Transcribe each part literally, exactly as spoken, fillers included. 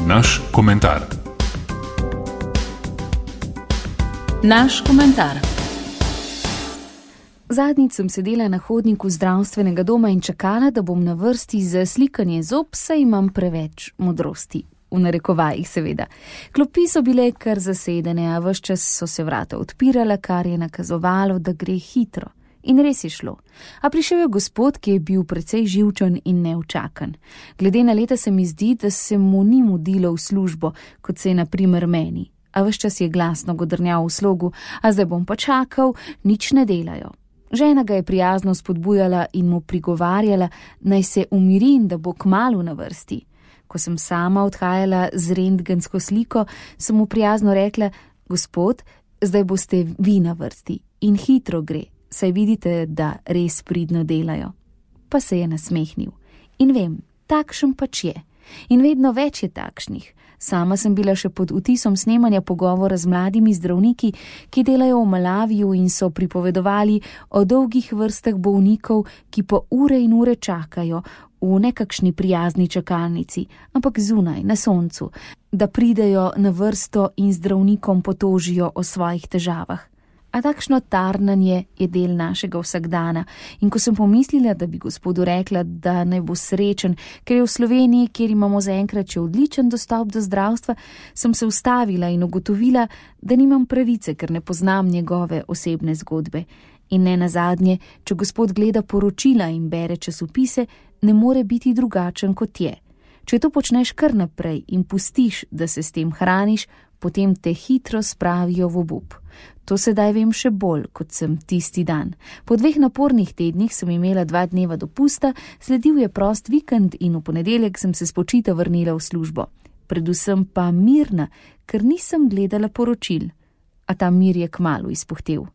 Naš komentar. Naš komentar. Zadnjič sem sedela na hodniku zdravstvenega doma in čakala, da bom na vrsti za slikanje zob, saj imam preveč modrosti. V narekovajih seveda. Klopi so bile kar zasedene, a ves čas so se vrata odpirala, kar je nakazovalo, da gre hitro. In res je šlo. A prišel je gospod, ki je bil precej živčen in neučakan. Glede na leta se mi zdi, da se mu ni mudilo v službo, kot se je na primer meni. A ves čas je glasno godrnjal v slogu, a zdaj bom pa čakal, nič ne delajo. Žena ga je prijazno spodbujala in mu prigovarjala, naj se umiri in da bo kmalu na vrsti. Ko sem sama odhajala z rentgensko sliko, sem mu prijazno rekla: gospod, zdaj boste vi na vrsti in hitro gre, saj vidite, da res pridno delajo. Pa se je nasmehnil. In vem, takšen pač je. In vedno več je takšnih. Sama sem bila še pod vtisom snemanja pogovora z mladimi zdravniki, ki delajo v Malaviju in so pripovedovali o dolgih vrstah bolnikov, ki po ure in ure čakajo v nekakšni prijazni čakalnici, ampak zunaj, na soncu, da pridejo na vrsto in zdravnikom potožijo o svojih težavah. A takšno tarnanje je del našega vsakdana in ko sem pomislila, da bi gospodu rekla, da naj bo srečen, ker je v Sloveniji, kjer imamo zaenkrat še odličen dostop do zdravstva, sem se ustavila in ugotovila, da nimam pravice, ker ne poznam njegove osebne zgodbe. In ne nazadnje, če gospod gleda poročila in bere časopise, ne more biti drugačen kot je. Če to počneš kar naprej in pustiš, da se s tem hraniš, potem te hitro spravijo v obup. To sedaj vem še bolj, kot sem tisti dan. Po dveh napornih tednih sem imela dva dneva dopusta, sledil je prost vikend in v ponedeljek sem se spočita vrnila v službo. Predvsem pa mirna, ker nisem gledala poročil. A ta mir je kmalu izpuhtel.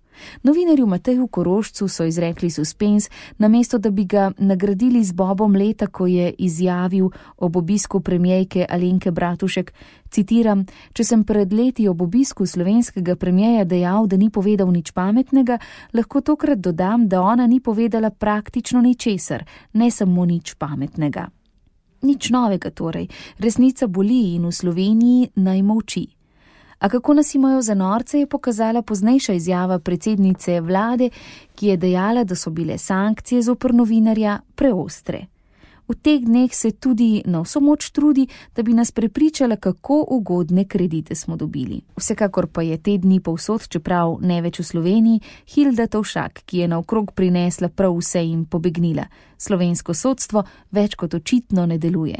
Novinarju Mateju Korošcu so izrekli suspens, namesto da bi ga nagradili z bobom leta, ko je izjavil ob obisku premierke Alenke Bratušek, citiram: če sem pred leti ob obisku slovenskega premierja dejal, da ni povedal nič pametnega, lahko tokrat dodam, da ona ni povedala praktično ničesar, ne samo nič pametnega. Nič novega torej, resnica boli in v Sloveniji naj molči. A kako nas imajo za norce, je pokazala poznejša izjava predsednice vlade, ki je dejala, da so bile sankcije zoper novinarja preostre. V teh dneh se tudi na vso moč trudi, da bi nas prepričala, kako ugodne kredite smo dobili. Vsekakor pa je te dni povsod, čeprav ne več v Sloveniji, Hilda Tovšak, ki je naokrog prinesla prav vse in pobegnila. Slovensko sodstvo več kot očitno ne deluje.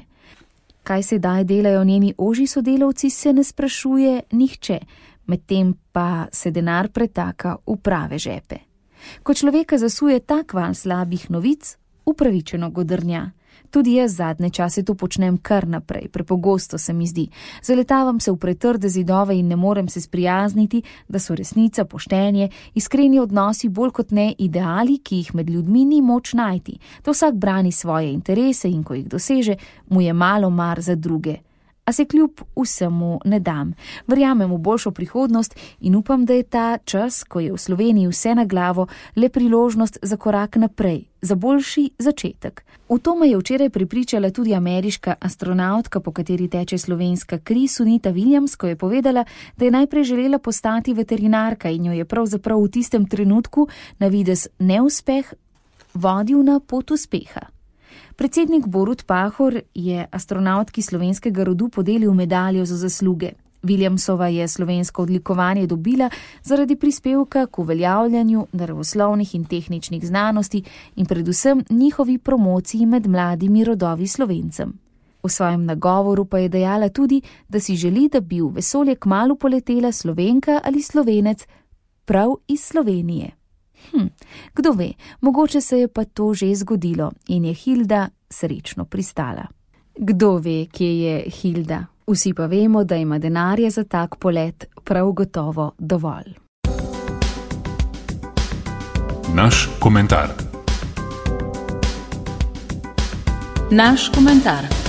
Kaj sedaj delajo njeni ožji sodelavci, se ne sprašuje nihče, medtem pa se denar pretaka v prave žepe. Ko človeka zasuje tak val slabih novic, upravičeno godrnja. Tudi jaz zadnje čase to počnem kar naprej, prepogosto se mi zdi. Zaletavam se v pretrde zidove in ne morem se sprijazniti, da so resnica, poštenje, iskreni odnosi bolj kot ne ideali, ki jih med ljudmi ni moč najti. Da vsak brani svoje interese in ko jih doseže, mu je malo mar za druge. A se kljub vsemu ne dam. Verjamem v boljšo prihodnost in upam, da je ta čas, ko je v Sloveniji vse na glavo, le priložnost za korak naprej, za boljši začetek. V to me je včeraj prepričala tudi ameriška astronautka, po kateri teče slovenska kri, Sunita Williams, ko je povedala, da je najprej želela postati veterinarka in jo je pravzaprav v tistem trenutku na videz neuspeh vodil na pot uspeha. Predsednik Borut Pahor je astronautki slovenskega rodu podelil medaljo za zasluge. Williamsova je slovensko odlikovanje dobila zaradi prispevka k uveljavljanju naravoslovnih in tehničnih znanosti in predvsem njihovi promociji med mladimi rodovi Slovencem. V svojem nagovoru pa je dejala tudi, da si želi, da bi v vesolje kmalu poletela Slovenka ali Slovenec prav iz Slovenije. Hm, kdo ve, mogoče se je pa to že zgodilo in je Hilda srečno pristala. Kdo ve, kje je Hilda? Vsi pa vemo, da ima denarja za tak polet prav gotovo dovolj. Naš komentar. Naš komentar.